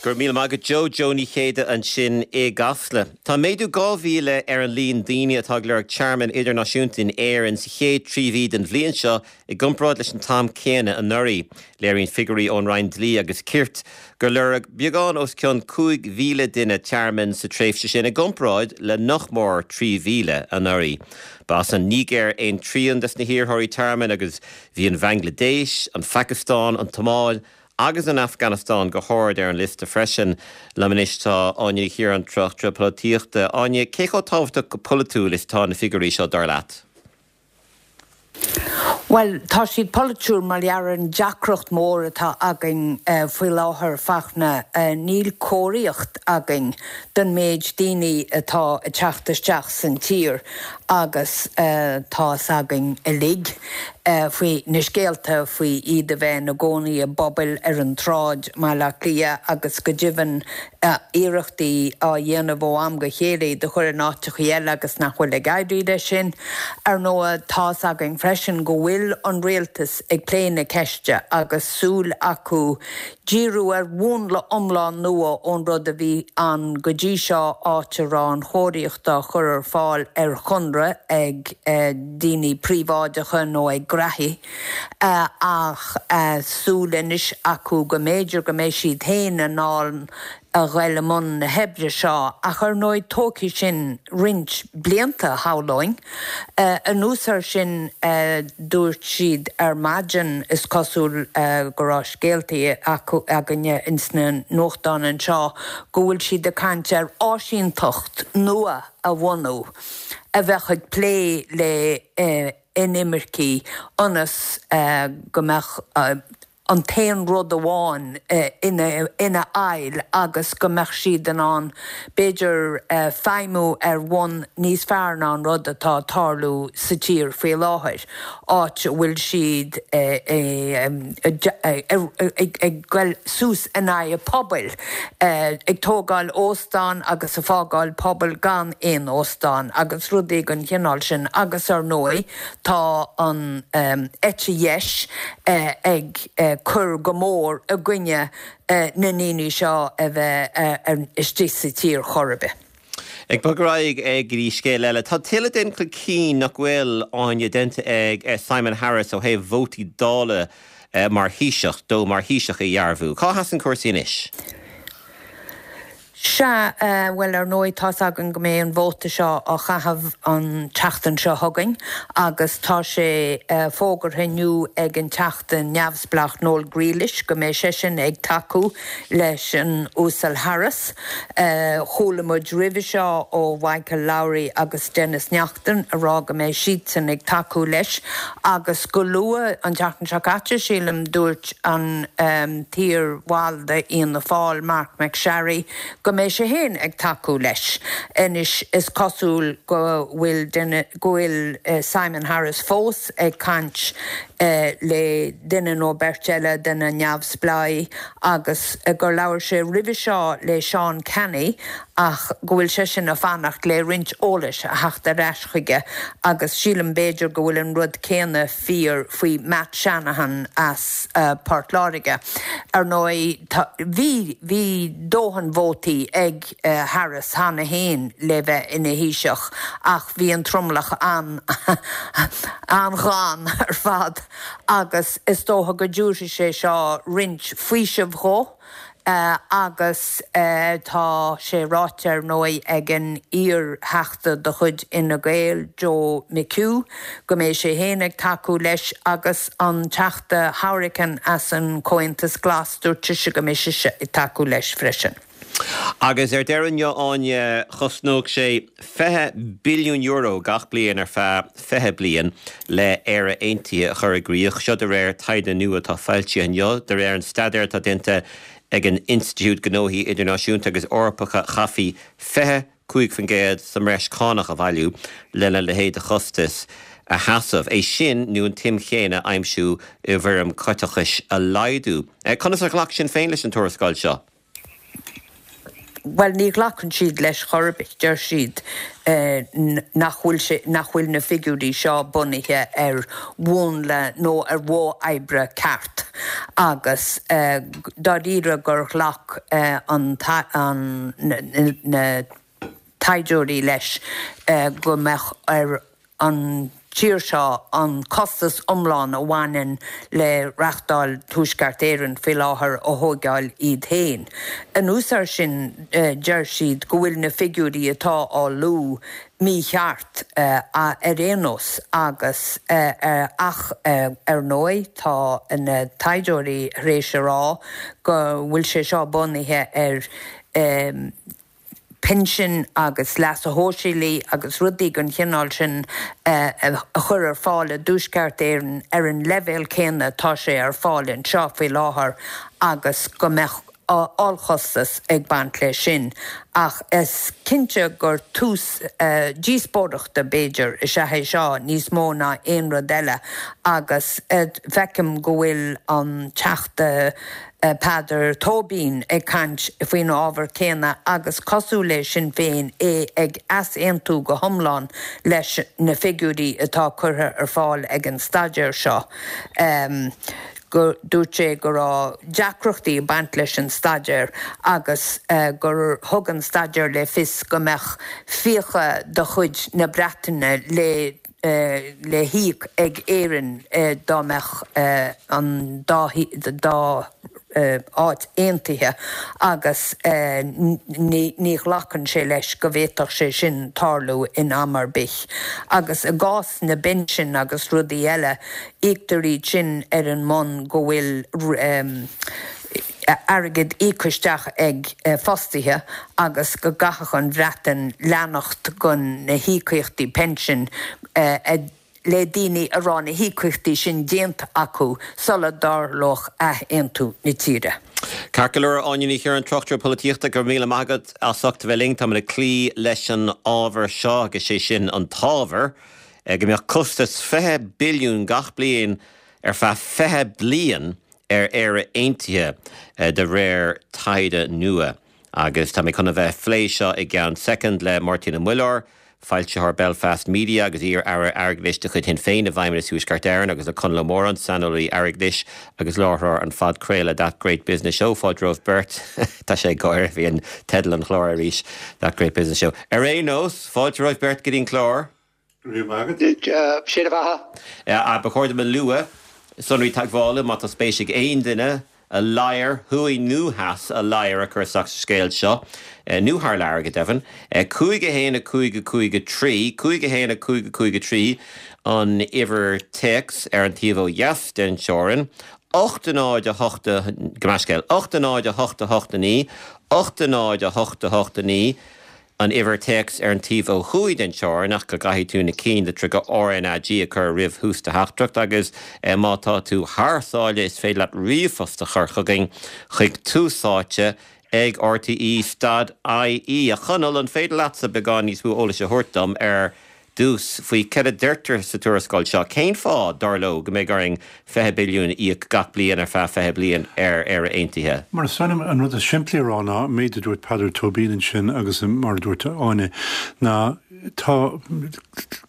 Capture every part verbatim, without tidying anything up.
Go raibh míle maith agat Joe Joe Ní Chéide ansin i gCasla. Tá méadú dhá mhíle ar an líon daoine atá ag lorg tearmann idirnáisiúnta in Éirinn sa chéad trí mhí den bhliain seo i gcomparáid leis an t-am céanna anuraidh. Léiríonn figiúirí ón Roinn Dlí agus Cirt gur lorg beagán os cionn cúig mhíle duine tearmann sa tréimhse sin i gcomparáid le nach mór trí mhíle anuraidh. Ba as an Nigéir aon trian des na hiarrthóirí tearmainn agus bhí an Bhanglaidéis, an Phacastáin, an tSomáil, agus an Afganastáin go hard ar an liosta freisin liom anois tá Áine Ní Chiaráin tráchtaire polaitíochta. Áine cé chomh tábhachtach go polaitiúil is atá na figiúirí seo dar leat. Well tá siad polaitiúil mar ar an deacracht mór atá againn uh, faoi láthair Fachtna uh, níl cóiríocht againn don méid daoine atá ag teacht isteach san tír agus uh, tá againn uilig uh, faoi na scéalta faoi iad a bheith ina gcónaí i bpubaill ar an tsráid i mBaile Átha Cliath agus go deimhin uh, iarrachtaí á dhéanamh ó am go chéile de chur in áiteacha eile agus nach bhfuil ag éirí leis sin. Ar ndóigh tá againn freisin go bhfuil an rialtas ag plé na ceiste agus súil acu díriú ar mhúnla iomlán nua ón rud a bhí ann go dtí seo áit a raibh an chóiríocht á chur ar fáil ar chonradh ag eh, daoine príobháideacha nó ag graithí eh, ach eh, súil anois acu go mb'fhéidir go mbeidh siad féin in ann a dhul i mbun na hoibre seo ach ar ndóigh tógfaidh sin roinnt blianta shamhlóinn. Uh, anuas air sin uh, dúirt siad ar maidin is cosúil uh, go raibh scéaltaí acu againne insna nuachtáin anseo go bhfuil siad ag caint ar áisínteacht nua a bhunú a bheadh ag plé le uh, inimircigh ionas uh, go mbeadh uh, an t-aon rud amháin uh, ina, ina fháil agus go mbeadh siad in ann b'fhéidir uh, feidhmiú ar bhonn níos fearr ná an rud atá ag tarlú sa tír faoi láthair. áit bhfuil siad ag goil suas in aghaidh pobail ag tógáil óstán agus ag fágáil pobal gan aon óstán agus rudaí den chineál sin agus ar ndóigh tá an um, eite dheis uh, ag uh, cur go mór i gcoinne uh, na ndaoine seo a bheith uh, istigh sa tír chor ar bith. Ag bogadh ag dtí scéal eile, Tá tuilleadh den chun cinn nach bhfuil Áine déanta ag Simon Harris ó thaobh vótaí Dála mar Thaoiseach dó mar Thaoiseach a dhearbhú. Cá sheasann cúrsaí anois? Sea uh, well ar ndóigh tá againn go mbeidh an vóta seo á chaitheamh an tseachtain seo chugainn agus tá sé uh, fógartha inniu ag an teachta neamhspleách Noel Grealish go mbeidh seisean ag tacú leis an Uasal Harris. Uh, Chuala muid roimhe seo ó Michael Lowry agus Denis Naughten ag rá go mbeidh siadsan ag tacú leis agus go luath an tseachtain seo caite sílim dúirt an um, t-iarbhall d'Fhianna Fáil Marc MacSharry go mbeidh sé féin ag tacú leis. Anois is cosúil go bhfuil go bhfuil uh, Simon Harris fós ag caint uh, le duine nó beirt eile de na neamhspleáigh agus uh, gur labhair sé roimhe seo le Seán Canney ach go bhfuil sé sin ag fanacht le roinnt eolais a theacht ar ais chuige agus sílim b'fhéidir go bhfuil an rud céanna fíor faoi Matt Shanahan as uh, Port Láirge. Ar ndóigh bhí bhí dóthain vótaí ag uh, Harris cheana féin le bheith ina Thaoiseach ach bhí an tromlach an an-ghann ar fad agus is dócha go dtabharfaidh sé seo roinnt faoisimh dó. Uh, agus uh, tá sé ráite ar ndóigh ag an iar-Theachta de chuid Fhine Gael Joe McHugh, go mbeidh sé féin ag tacú leis agus an teachta Hourican as an Comhaontas Glas dúirt sé go mbeidh sé ag tacú leis freisin. Agus ar deireadh Áine chosnódh sé fiche billiún euro gach bliain ar feadh fiche bliain le Éire Aontaithe a chur i gcrích seo de réir taighde nua atá foilsithe inniu de réir an staidéir atá déanta ag an Institiúid Gnóthaí Idirnáisiúnta agus Eorpacha chaithfí fiche cúig faoin gcéad sa mbreis cánach a bhailiú lena leithéid de chostas a sheasamh. É sin nó an tsuim chéanna a aimsiú i bhfoirm caiteachais a laghdú. Conas ar ghlac Sinn Féin leis an tuarascáil seo? Well ní ghlacann siad leis chor ar bith deir siad eh, nach bhfuil nach bhfuil na figiúirí seo bunaithe ar mhúnla nó ar mhodh oibre ceart. agus dáiríre gur ghlac an na taighdeoirí leis go mbeadh ar an tír seo an costas iomlán a bhaineann le reachtáil Tuaisceart Éireann faoi láthair a thógáil iad féin. Anuas air sin deir siad go bhfuil na figiúirí atá á lua mícheart ar aon nós agus ach ar ndóigh tá na taighdeoirí tar éis a rá go bhfuil sé seo bunaithe ar pinsin agus leasa shóisialaigh agus rudaí den chineál sin a chur ar fáil i dTuaisceart Éireann ar an leibhéal céanna atá sé ar fáil anseo faoi láthair agus go mbeadh ollchostas ag baint leis sin. Ach is cinnte gur tús díospóireachta b'fhéidir is ea é seo níos mó ná aon rud eile agus feicim go bhfuil an Teachta Peadar Tóibín ag caint faoin ábhar céanna agus cosúil le Sinn Féin é ag easaontú go hiomlán leis na figiúirí atá curtha ar fáil ag an staidéar seo. Go dúirt sé go raibh deacrachtaí ag baint leis an staidéar agus gur thug an staidéar le fios go mbeadh fiacha de chuid na Breataine le le híoc ag Éirinn dá mbeadh an dá dá áit aontaithe agus ní ghlacann sé leis go bhféadfadh sé sin tarlú in am ar bith. Agus i gcás na bpinsean agus rudaí eile, íoctar iad sin ar an mbonn go bhfuil airgead íoctha isteach ag fostaithe agus go gcaithfeadh an Bhreatain leanacht den na híocaíochtaí pinsin le daoine a raibh na híocaíochtaí sin déanta acu sula dtarlódh athaontú na tíre. Ceart go leor, Áine Ní Chiaráin, tráchtaire polaitíochta, go raibh míle maith agat as ucht a bheith linn. Táimid ag cloí leis an ábhar seo agus sé sin an t-ábhar go mbeadh costas fiche billiún gach bliain ar feadh fiche bliain ar Éire Aontaithe de réir taighde nua. Agus tá mé chun a bheith ag plé seo i gceann soicind le Máirtín Ó Muilleoir, foilsitheoir Belfast Media agus iar-aire airgeadais de chuid Shinn Féin i bhFeidhmeannas Thuaisceart Éireann agus le Conall Ó Móráin, saineolaí airgeadais agus láithreoir an phodchraoladh That Great Business Show. Fáilte romhaibh beirt. Tá sé ag gáire, bhí an teideal an chláir arís, That Great Business Show. Ar aon nós, fáilte romhaibh beirt go dtí an clár. Go raibh maith agat. Sé do bheatha. Ba chóir dom a lua sonraí teagmhála má tá spéis ag aon duine a ladhar, thuaidh nó theas, a ladhar a chur isteach sa scéal seo, nó thar lear go deimhin. Cúig a haon a cúig a cúig a trí, cúig a haon a cúig a cúig a trí an uimhir téacs ar an taobh ó dheas den teorainn, ocht a náid a hocht a, gabh mo leithscéal, ocht a náid a hocht a hocht a naoi, ocht a náid a hocht a hocht a naoi, an uimhir téacs ar an taobh ó thuaidh den teorainn ach go gcaithfidh tú na cinn litreacha RnaG a chur roimh thús do theachtaireacht agus má tá tú thar sáile is féidir leat ríomhphost a chur chugainn chuig túsáite ag rte stad ie. A Chonaill, an féidir leatsa beagán níos mó eolais a thabhairt dom ar dtús faoi céard a deirtear sa tuarascáil seo? Cén fáth, dar leo, go mbeidh orainn fiche billiún a íoc gach bliain ar feadh fiche bliain ar Éire Aontaithe? Mar is dóigh liom an rud is simplí a rá ná an méid a dúirt Peadar Tóibín ansin agus mar a dúirt Áine ná tá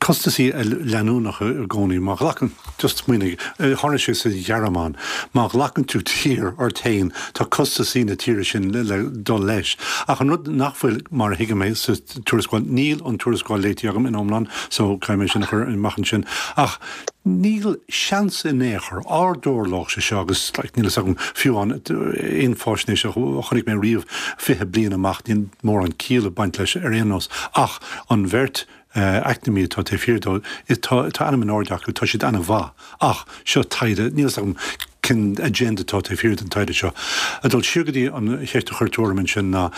costasaí leanúnacha i gcónaí. Má ghlacann, just smaoinigh, tharla sé sa Ghearmáin, má ghlacann tú tír ort féin tá costasaí na tíre sin le dul leis. Ach an rud nach bhfuil, mar a thuigim é sa tuarascáil, níl an tuarascáil léite agam in iomlán so caithfidh mé sin a chur amach ansin, ach níl seans in aon chor á dtarlódh sé seo agus like, níl a fhios agam fiú an aon fáisnéis a chonaic mé riamh fiche bliain amach, níl mórán ciall ag baint leis ar aon nós. Ach an bheirt eacnamaí atá taobh thiar dó, tá ainm in airde acu, tá siad an-mhaith. Ach seo taighde, níl a fhios agam cén agenda atá taobh thiar den taighde seo. Ag dul siar go dtí an cheist a chuir tú orm ansin ná,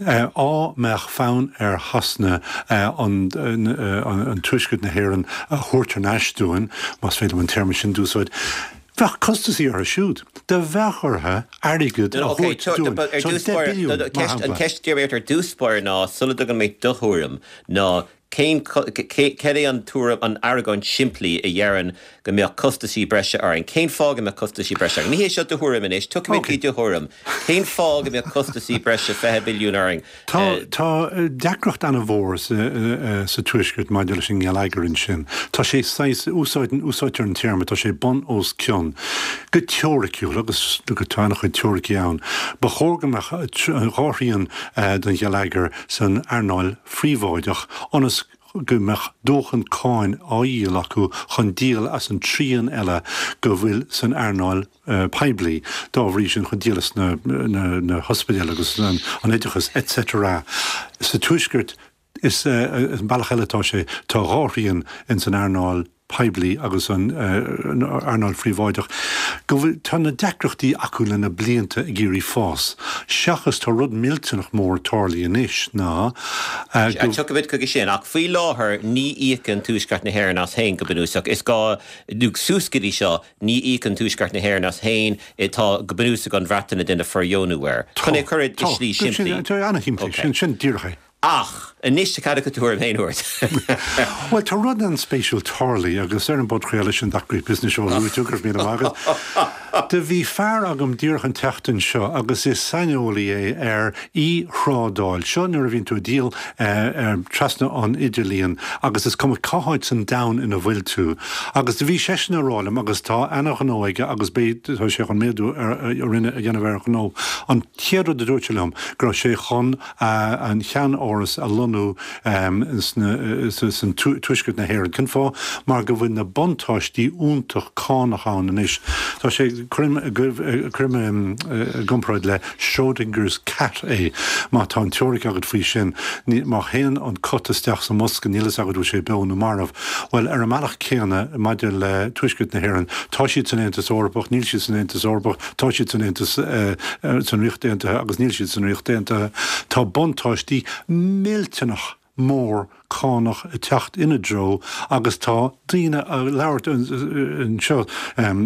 á mbeadh fonn ar Shasana an an Tuaisceart na hÉireann a thabhairt thar n-ais dúinn, más féidir liom an téarma sin d'úsáid, bheadh costasaí orthu siúd. Do bheadh orthu airgead a thabhairt dúinn. So deich billiún, mar shampla. An cheist a d'iarr mé ort ar dtús báire ná, sula dtugann mé do thuairim, ná Cén céard é an tuairim, an argóint simplí a deireann go mbeadh costaisí breise orainn? Cén fáth go mbeadh costaisí breise orainn? Ní hé seo do thuairim anois, tiocfaimid go do thuairim. Cén fáth go mbeadh costaisí breise fiche billiún orainn? Tá tá deacracht an-mhór sa Tuaisceart maidir leis an ngeilleagar ansin. Tá sé saghas, úsáideann, úsáidtear an téarma, tá sé bun os cionn. Go teoiriciúil, agus tá an-chuid teoiricí ann, ba chóir go mbeadh dhá thrian den gheilleagar san earnáil phríobháideach ionas go mbeadh dóthain cáin á dhíol acu chun díol as an trian eile go bhfuil san earnáil poiblí, dá bhrí sin chun díol as na na hospidéil agus an oideachas et cetera. Sa Tuaisceart, is an bealach eile atá sé, tá dhá thrian in san earnáil poiblí agus an earnáil phríobháideach, go bhfuil, tá na deacrachtaí acu le na blianta ag iarraidh fás, seachas tá rud millteanach mór tarlaithe anois ná go. Tiocfaimid chuige sin, ach faoi láthair ní íocann Tuaisceart na hÉireann as féin go bunúsach. Is gá, nó suas go dtí seo, ní íocann Tuaisceart na hÉireann as féin, tá go bunúsach an Bhreatain ag déanamh fóirdheonú air. Chun é a chur i slí simplí. Tá, tá, an-shimplí, sin, sin díreach é. Ach anois tá cead agat do thuairim féin a thabhairt. Bhuel, tá rud an-spéisiúil tarlaithe agus ar an bpodchraoladh sin That Great Business Show a luaigh tú, go raibh míle maith agat. Do bhí fear agam díreach an tseachtain seo agus is saineolaí é ar e-thrádáil. Seo nuair a bhíonn tú ag díol trasna an idirlíon agus is cuma cá háit san domhan ina bhfuil tú. Agus do bhí seisean ag rá liom agus tá ana-ghnó aige agus beidh, tá sé chun méadú ar, a rinne, a dhéanamh ar a ghnó. An chéad rud a dúirt sé liom go raibh sé chun an cheann-áras a lonnú san tuaisceart na hÉireann. Cén fáth? Mar go bhfuil na buntáistí iontach cánach ann anois. Tá sé, cuirim cuirim i gcomparáid le Schrödinger's cat é. Má tá an teoiric agat faoi sin, má théann an cat isteach sa mbosca níl fhios agat bhfuil sé beo nó marbh. Bhuel, ar an mbealach céanna maidir le Tuaisceart na hÉireann, tá siad san Aontas Eorpach, níl siad san Aontas Eorpach, tá siad san Aontas san Ríocht Aontaithe agus níl siad san Ríocht Aontaithe. Tá buntáistí millteanach mór cánach ag teacht ina dtreo agus tá daoine ag labhairt anseo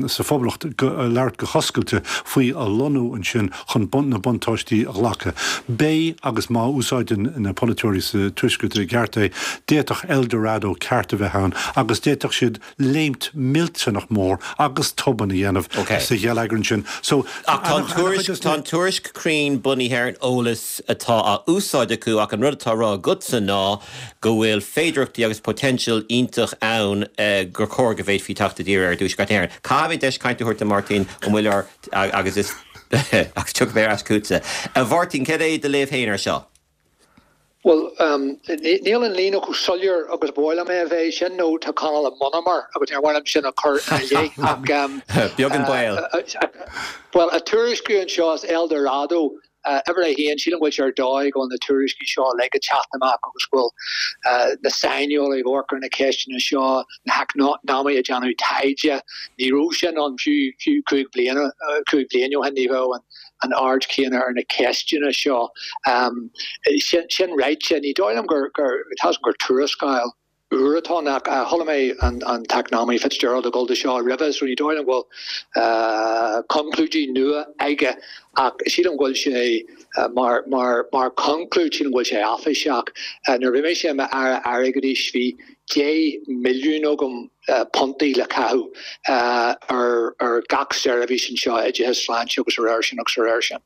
sa Phoblacht, ag labhairt go hoscailte faoi a lonnú ansin chun na buntáistí a ghlacadh. Beidh, agus má úsáideann na polaiteoirí sa Tuaisceart i gceart é, d'fhéadfadh El Dorado ceart a bheith ann agus d'fhéadfadh siad léimt millteanach mór agus tobann a dhéanamh sa gheilleagar ansin. So, Ach tá an tuairisc, tá an tuairisc cruinn bunaithe ar an eolas atá á úsáid acu ach an rud atá á rá agatsa ná go bhfuil féidearthachtaí agus potential iontach ann gur chóir go bhféadfaí teacht i dtír ar dTuaisceart na hÉireann. Caithfidh mé deis cainte a thabhairt do Mháirtín Ó Muilleoir agus is agus tiocfaidh mé ar ais chugatsa. A Mháirtín, cad é do léamh féin ar seo? Bhuel, níl an líne chomh soiléir agus ba mhaith liom é a bheith, sin nó tá Conall i monamar agus níor mhaith liom sin a chur ina leith ach. Beag an baol. Bhuel, an tuairisciú anseo is El Dorado uimhir a haon, sílim go bhfuil sé ar dóigh go bhfuil na tuairiscí seo uilig ag teacht amach agus go bhfuil na saineolaithe ag amharc ar na ceisteanna seo, na heacnamaithe ag déanamh taighde. Ní raibh sin ann fiú fiú cúig bliana, cúig bliana ó shin, ní bheadh an an aird chéanna ar na ceisteanna seo. Sin ráite, ní dóigh liom gur, gur, tá 'fhios agam gur tuarascáil úr atá ann ach chuala mé an an t-eacnamaí Fitzgerald ag dul do seo roimhe so ní dóigh liom go bhfuil conclúidí nua aige ach sílim go bhfuil sé mar mar mar conclúid sílim go bhfuil sé áiféiseach. Nuair a bhí mise i m'Aire Airgeadais bhí deich milliún agam puntaí le caitheamh ar ar gach seirbhís anseo, oideachas, sláinte agus a réir sin agus a réir sin.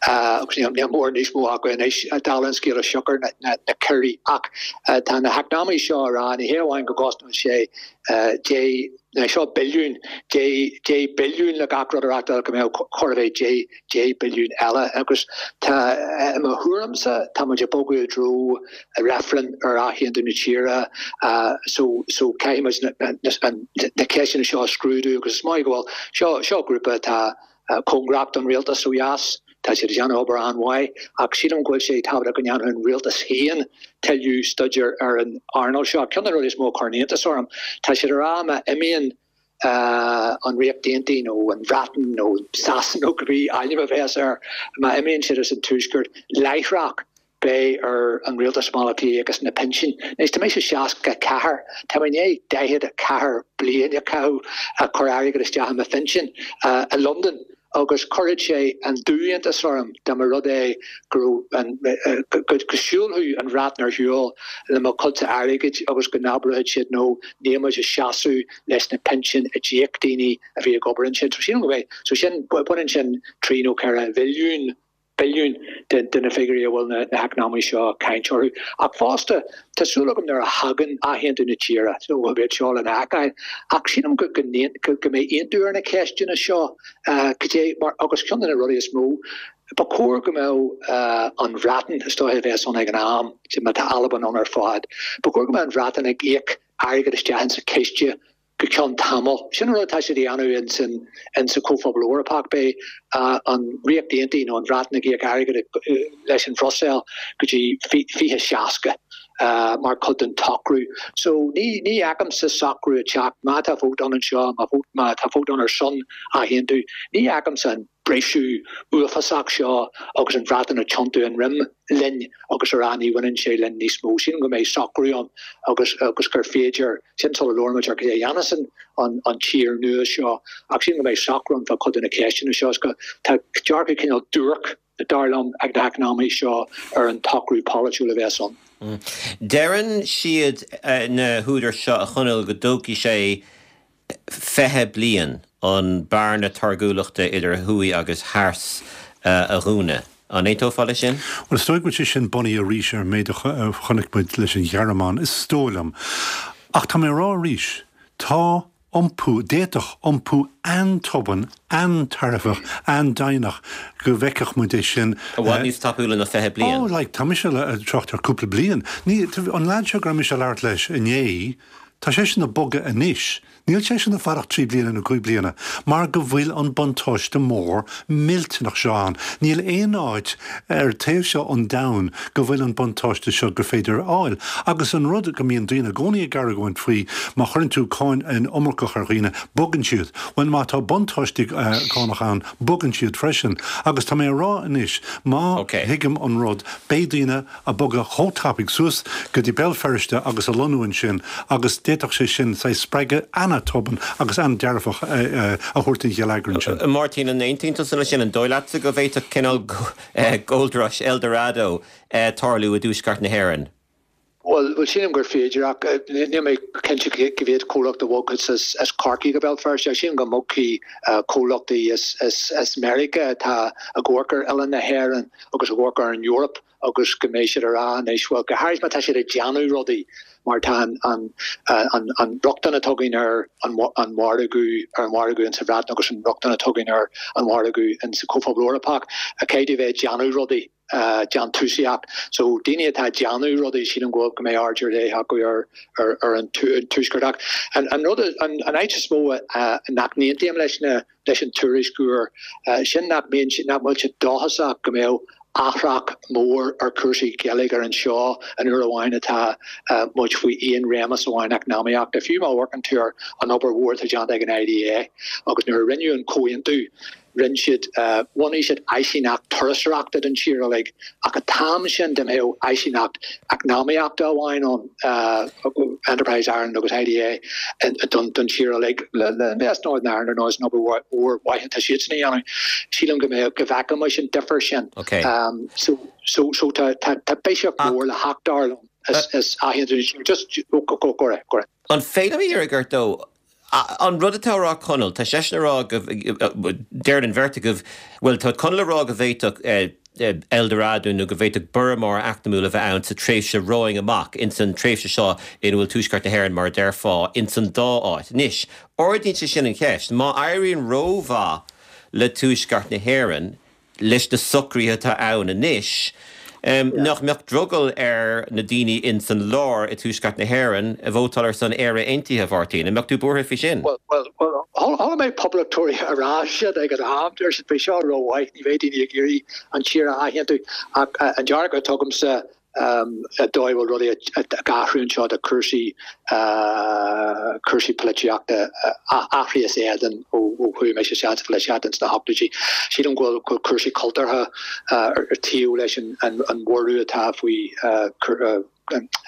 Agus níl níl mórán níos mó acu anois, dála an scéil is siocair na na ciorruithe. Ach tá na heacnamaithe seo ag rá, ní hé amháin go gcosnóidh sé deich, seo billiún, deich deich billiún le gach rud a reáchtáil go mbeadh chóir a bheith deich deich billiún eile. Agus tá, i mo thuairimse, tá muid ag bogadh i dtreo reifreann ar athaontú na tíre so so caithfidh muid na na ceisteanna seo a scrúdú agus is maith go bhfuil seo seo grúpa atá cóngarach don rialtas ó dheas, tá siad ag déanamh obair an-mhaith ach sílim go bhfuil sé tábhachtach go ndéanfadh an rialtas féin tuilleadh staidéir ar an earnáil seo. Ceann de na rudaí is mó a chuireann iontas orm, tá siad ag rá má imíonn an Ríocht Aontaithe nó an Bhreatain nó Sasana nó cibé ainm a bheas air, má imíonn siad as an Tuaisceart láithreach, beidh ar an rialtas i mBaile Átha Cliath íoc as na pinsin. Anois, tá mise seasca a ceathair, tá mé i ndiaidh daichead a ceathair bliain a chaitheamh ag cur airgead isteach i mo phinsean i Londain Agus chuirfeadh sé an dubh-iontas orm dá mba rud é go raibh an, go siúlfadh an Bhreatain ar shiúl le mo chuidse airgid agus go n-abródh siad no, níl muid ag seasamh leis na pinsin a d'íoc daoine a bhí ag obair ansin. So sílim go mbeidh, so sin, baineann sin trí nó ceithre bhilliún, billiún de de na figiúirí a bhfuil na heacnamaithe seo ag caint orthu. Ach fosta, tá súil agam nuair a thagann athaontú na tíre, so go mbeidh seo lena fheiceáil, ach sílim go go go mbeidh aontú ar na ceisteanna seo, cad é mar, agus ceann de na rudaí is mó, ba chóir go mbeadh an Bhreatain, is dóiche a bheas ann ag an am, má tá Albain ann ar fad, ba chóir go mbeadh an Bhreatain ag íoc airgead isteach insa chiste go ceann tamaill. Sin an rud atá siad a dhéanamh ins an ins an Chomhphobal Eorpach. Beidh an Ríocht Aontaithe nó an Bhreatain ag íoc airgead leis an Bhruiséil go dtí fiche seasca mar chuid den tsocrú. So ní ní fheicimse socrú ag teacht má tá vóta ann anseo, má má tá vóta ann ar son athaontú, ní fheicimse an briseadh uafásach seo agus an Bhreatain ag tiontú a ndroim linn agus a rá ní bhaineann sé linn níos mó. Sílim go mbeidh socrú ann agus agus gur féidir, sin sula labhraímid ar cad é a dhéanfas an an tír nua seo, ach sílim go mbeidh socrú ann fá chuid de na ceisteanna seo is go tá dearcadh cineál duairc, dar liom, ag na heacnamaithe seo ar an tsocrú polaitiúil a bheas ann. Deireann siad, na húdair seo, a Chonaill, go dtógfaidh sé fiche bliain an bearna táirgiúlachta idir thuaidh agus theas a dhúnadh. An aontófá leis sin? Bhuel, is dóigh go bhfuil sé sin bunaithe arís ar an méid a chonaic muid leis an Ghearmáin, is dóigh liom. Ach tá mé a rá arís, tá iompú, d'fhéadfadh iompú an-tobann, an-tairbheach, an-deimhneach go bhfeicfeadh muid é sin. I bhfad níos tapúla ná fiche bliain. Oh, like, tá mise ag trácht ar cúpla bliain. Ní, an leaid seo go raibh mise ag labhairt leis inné, Tá seisean ag bogadh anois. Níl seisean ag fanacht trí bliana nó cúig bliana, mar go bhfuil an buntáiste mór millteanach seo ann. Níl aon áit ar taobh seo an domhain go bhfuil an buntáiste seo gur féidir a fháil. Agus an rud go mbíonn daoine i gcónaí ag argóint faoi, má chuireann tú cáin iomarcach ar dhaoine, bogann siad. Bhuel, má tá buntáiste cánach ann, bogann siad freisin. Agus tá mé a rá anois, má thuigim an rud, beidh daoine ag bogadh chomh tapaidh suas go dtí Béal Feirste agus a lonnú ansin agus d'fhéadfadh sé sin saghas spreagadh an-tobann agus an-dearfach a thabhairt don gheilleagar ansin. Máirtín, an aontaíonn tusa leis sin? An dóigh leatsa go bhféadfadh cineál Gold Rush El Dorado tarlú i dTuaisceart na hÉireann? Bhuel, sílim gur féidir, ach níl mé cinnte cá mhéad comhlacht a bhogfas as Corcaigh go Béal Feirste. Sílim go mbogfaidh comhlachtaí as Meiriceá atá ag amharc ar oileán na hÉireann agus ag amharc ar an Eoraip agus go mbeidh siad ag rá anois, bhuel, go háirithe má tá siad ag déanamh rudaí mar tá an rochtain atá againn ar an mhargadh, ar an mhargadh insa Bhreatain agus an rochtain atá againn ar an mhargadh insa Chomhphobal Eorpach, caithfidh tú bheith ag déanamh rudaí. déantúsaíocht. So daoine atá ag déanamh rudaí, sílim go bhfuil, go mbeidh aird ar leith acu ar ar an tuaisceart. Ach an an rud, an an áit is mó nach n-aontaím leis na leis an tuairisc úr, sin nach mbíonn nach bhfuil siad dóchasach go mbeadh athrach mór ar chúrsaí geilleagair anseo an uair amháin atá muid faoi aon réimeas amháin eacnamaíochta. Fiú má amharcann tú ar an obair mhór atá déanta ag an IDA agus nuair a rinneadh an comhaontú, Rinne siad, bhunaigh siad áisíneacht turasóireachta don tír uilig, ach an t-am sin dá mbeadh áisíneacht eacnamaíochta amháin ann, Enterprise Ireland agus IDA don tír uilig, le Invest Northern Ireland ar ndóigh, is an obair mhór mhaith atá siadsan a dhéanamh, sílim go mbeadh, go bhfeicfimis an difear sin. So, so, so tá, tá, tá biseach mór le theacht dar liom is athaontú na tíre. Just, go, go, go raibh, go raibh. An féidir liom iarraidh ort though, An rud atá á rá Conall, tá seisean ag rá go, deireann an bheirt agaibh, bhuel tá Conall ag rá go bhféadfadh El Dorado nó go bhféadfadh borradh mór eacnamúil a bheith ann sa tréimhse romhainn amach, ins an tréimhse seo ina bhfuil Tuaisceart na hÉireann mar a déarfá, ins an dá áit. Anois, ardaíonn sé sin an cheist, má éiríonn rómhaith le Tuaisceart na hÉireann, leis na socruithe atá ann anois, nach mbeadh drogall ar na daoine ins an lár i dTuaisceart na hÉireann vótáil ar son Éire Aontaithe, a Mháirtín? An mbeadh tú buartha faoi sin? Bhuel, bhuel, chuala mé poblachtóirí a rá sin ag an am, deir siad, beidh seo rómhaith, ní bheidh daoine ag iarraidh an tír a athaontú. Ach an dearcadh atá agamsa, an dóigh a bhfuil rudaí ag athrú anseo do chúrsaí cúrsaí polaitíochta athraithe as éadan ó chuaigh mise isteach sa pholaitíocht ins na hochtóidí. Sílim go bhfuil cúrsaí cultúrtha ar taobh leis an bhorradh atá faoi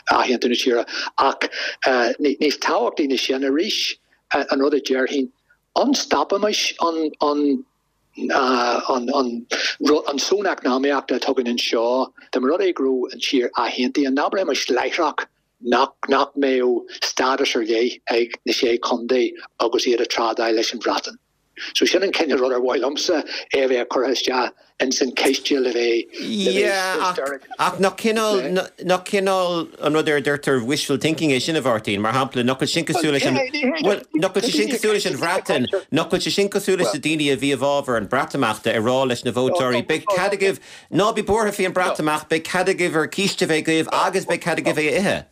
athaontú na tíre ach níos tábhachtaí ná sin arís an rud a déarfainn, an stopfaimis an an an són eacnamaíochta atá againn anseo, dá mba rud é go raibh an tír athaontaithe, an abraimis láithreach nach nach mbeadh stádas ar leith ag na Sé Chontae agus iad ag trádáil leis an Bhreatain. So sin an cineál rud ar mhaith liomsa é a bheith curtha isteach ins an ciste le bheith le bheith Ach nach cineál nach cineál an rud ar a deirtear wishful thinking é sin a Mháirtín, mar shampla nach bhfuil sin cosúil leis an Well nach bhfuil sé sin cosúil leis an Bhreatain, nach bhfuil sé sin cosúil leis na daoine a bhí i bhfabhar an Bhreatimeachta ag rá leis na vótóirí beidh cead agaibh ná bí buartha faoin Bhreatimeacht, beidh cead agaibh bhur císte a bheith agaibh agus beidh cead agaibh é a ithe.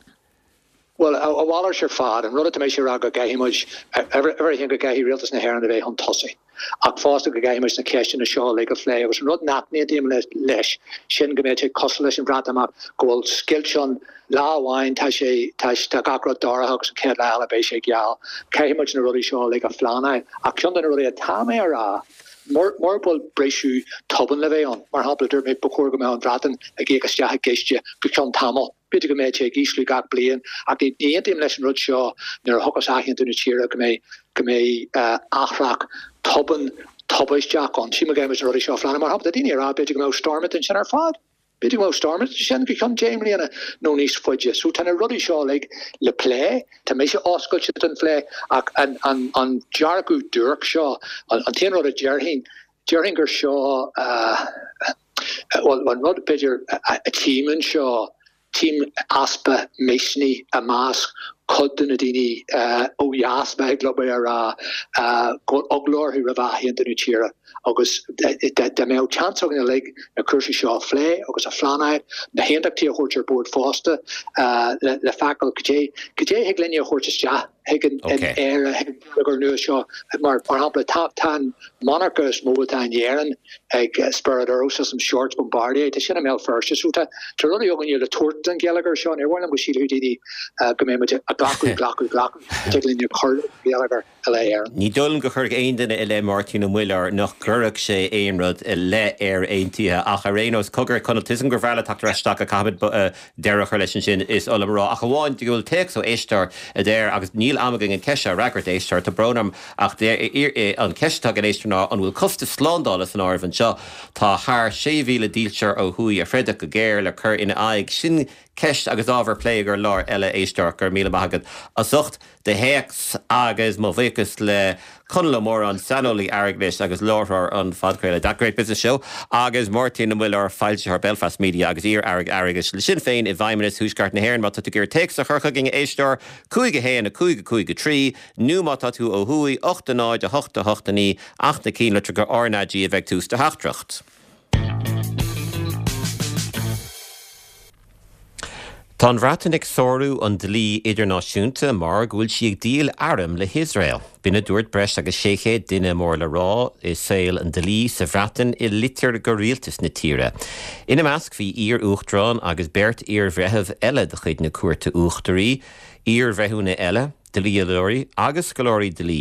Bhuel, a mhalairt ar fad, an rud atá mise a rá go gcaithfidh muid, uimhir a haon go gcaithfidh Rialtas na hÉireann a bheith chun tosaigh, ach fosta go gcaithfidh muid na ceisteanna seo uilig a phlé agus an rud nach n-aontaím leis, sin go mbeadh sé cosúil leis an Bhreatimeacht, go bhfuil scoilt ann, lá amháin tá sé, tá, tá gach rud dorcha agus an chéad lá eile beidh sé geal. Caithfidh muid na rudaí seo uilig a phleanáil ach ceann de na rudaí atá mé a rá, mura bhfuil briseadh tobann le bheith ann, mar shampla, dúirt mé ba chóir go mbeadh an Bhreatain ag íoc isteach i gciste go ceann tamaill. B'fhéidir go mbeidh sé ag ísliú gach bliain, ach ní aontaím leis an rud seo nuair a thiocfas athaontú na tíre go mbeidh go mbeidh athrach tobann tubaisteach ann. Sílim go gcaithfidh muid na rudaí seo a phleanáil. Mar shampla, tá daoine ag rá b'fhéidir go mbeadh Stormont ansin ar fad. B'fhéidir go mbeadh Stormont ansin go ceann deich mbliana nó níos faide. So tá na rudaí seo uilig le plé. Tá mise oscailte don phlé ach an an an dearcadh duairc seo, an t-aon rud a déarfainn, déarfainn gur seo bhuel an rud b'fhéidir a tchím anseo, tchím easpa misnigh i measc cuid de na daoine ó dheas, ba thig liom é a rá, go bhfuil eagla orthu roimh athaontú na tíre agus dá mbeadh seans againn uilig na cúrsaí seo a phlé agus a phleanáil, na haontachtaithe a thabhairt ar bord fosta le feiceáil cad é cad é thig linne a thabhairt isteach chuig an Éire, chuig an gheilleagar nua seo. Mar shampla, tá an monarcha is mó atá in Éirinn ag Spirit Aero Systems, Shorts Bombardier, tá sin i mBéal Feirste. So tá rudaí againne le tabhairt don gheilleagar seo. Níor mhaith liom go sílfeadh daoine go mbeidh muid ag glacadh, glacadh, glacadh. Tig linn cur le geilleagar i leith Éireann. Ní dóigh liom go gcuirfeadh aon duine i leith Máirtín Ó Muilleoir nach gcuirfeadh sé aon rud i leith Éire Aontaithe ach ar aon nós, cogar, Conall, tuigim gur bhreá leat teacht ar ais isteach ach caithfimid deireadh a chur leis ansin, is oth liom a rá, ach amháin go bhfuil téacs ó éisteoir a deir, agus níl am againn an ceist seo a fhreagairt, a éisteoir, tá brón orm, ach an ceist atá ag an éisteoir ná an bhfuil costas slándála san áireamh anseo? Tá thar sé mhíle dílseoir ó thuaidh a throidfeadh go géar le cur ina aghaidh. Sin ceist agus ábhar plé i gcomhair lá eile, a éisteoir. Go raibh míle maith agat as ucht do théacs agus mo bhuíochas le Conall Ó Móráin, saineolaí airgeadais agus láithreoir an phodchraoladh That Great Business Show, agus Máirtín Ó Muilleoir, foilsitheoir Belfast Media agus iar-aire airgeadais le Sinn Féin i bhFeidhmeannas Thuaisceart na hÉireann. Má tá tú ag iarraidh téacs a chur chugainn, a éisteoir, cúig a haon, a cúig a cúig a trí, nó má tá tú ó thuaidh, ocht a náid, a hocht a hocht a naoi, ach na cinnlitreacha RnaG a bheidh ag tús do theachtaireacht. Tá an Bhreatain ag sárú an dlí idirnáisiúnta mar go bhfuil sí ag díol airm le hIosrael. B'in a dúirt breis agus sé chéad duine mór le rá i saol an dlí sa Bhreatain i litir go rialtas na tíre. Ina measc bhí iar-uachtarán agus beirt iarbhreitheamh eile de chuid na Cúirte Uachtaraí, iarbhreithiúna eile, dlíodóirí agus scoláirí dlí.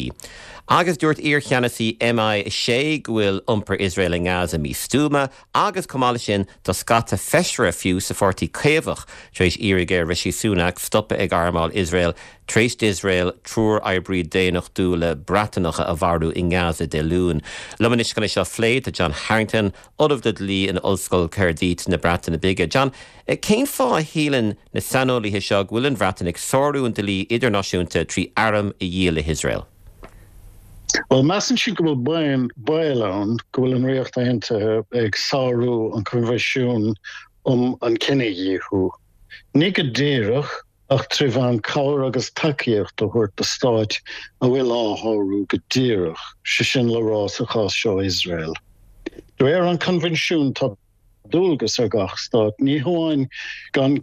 Agus dúirt iarcheannasaí M I a sé go bhfuil iompar Iosrael i nGaza místuama agus chomh maith leis sin tá scata feisire fiú sa pháirtí Caomhach tar éis iarraidh ar Rishi Sunak stopadh ag armáil Iosrael tar éis d'Iosrael triúr oibrí daonnachtúla Breatanacha a mharú i nGaza Dé Luain. Liom anois chun é seo a phlé tá John Harrington, Ollamh le Dlí in Ollscoil Caerdydd na Breataine Bige. John, cén fáth a shíleann na saineolaithe seo go bhfuil an Bhreatain ag sárú an dlí idirnáisiúnta trí airm a dhíol le hIosrael? Bhuel, measann siad go bhfuil baol ann go bhfuil an Ríocht Aontaithe ag sárú an Coinbhinsiún um an Cinedhíothú. Ní go díreach, ach trí mheán cabhair agus tacaíocht a thabhairt do stáit a bhfuil á shárú go díreach, sé sin le rá sa chás seo Iosrael. De réir an Choinbhinsiúin tá dualgas ar gach stát ní hamháin gan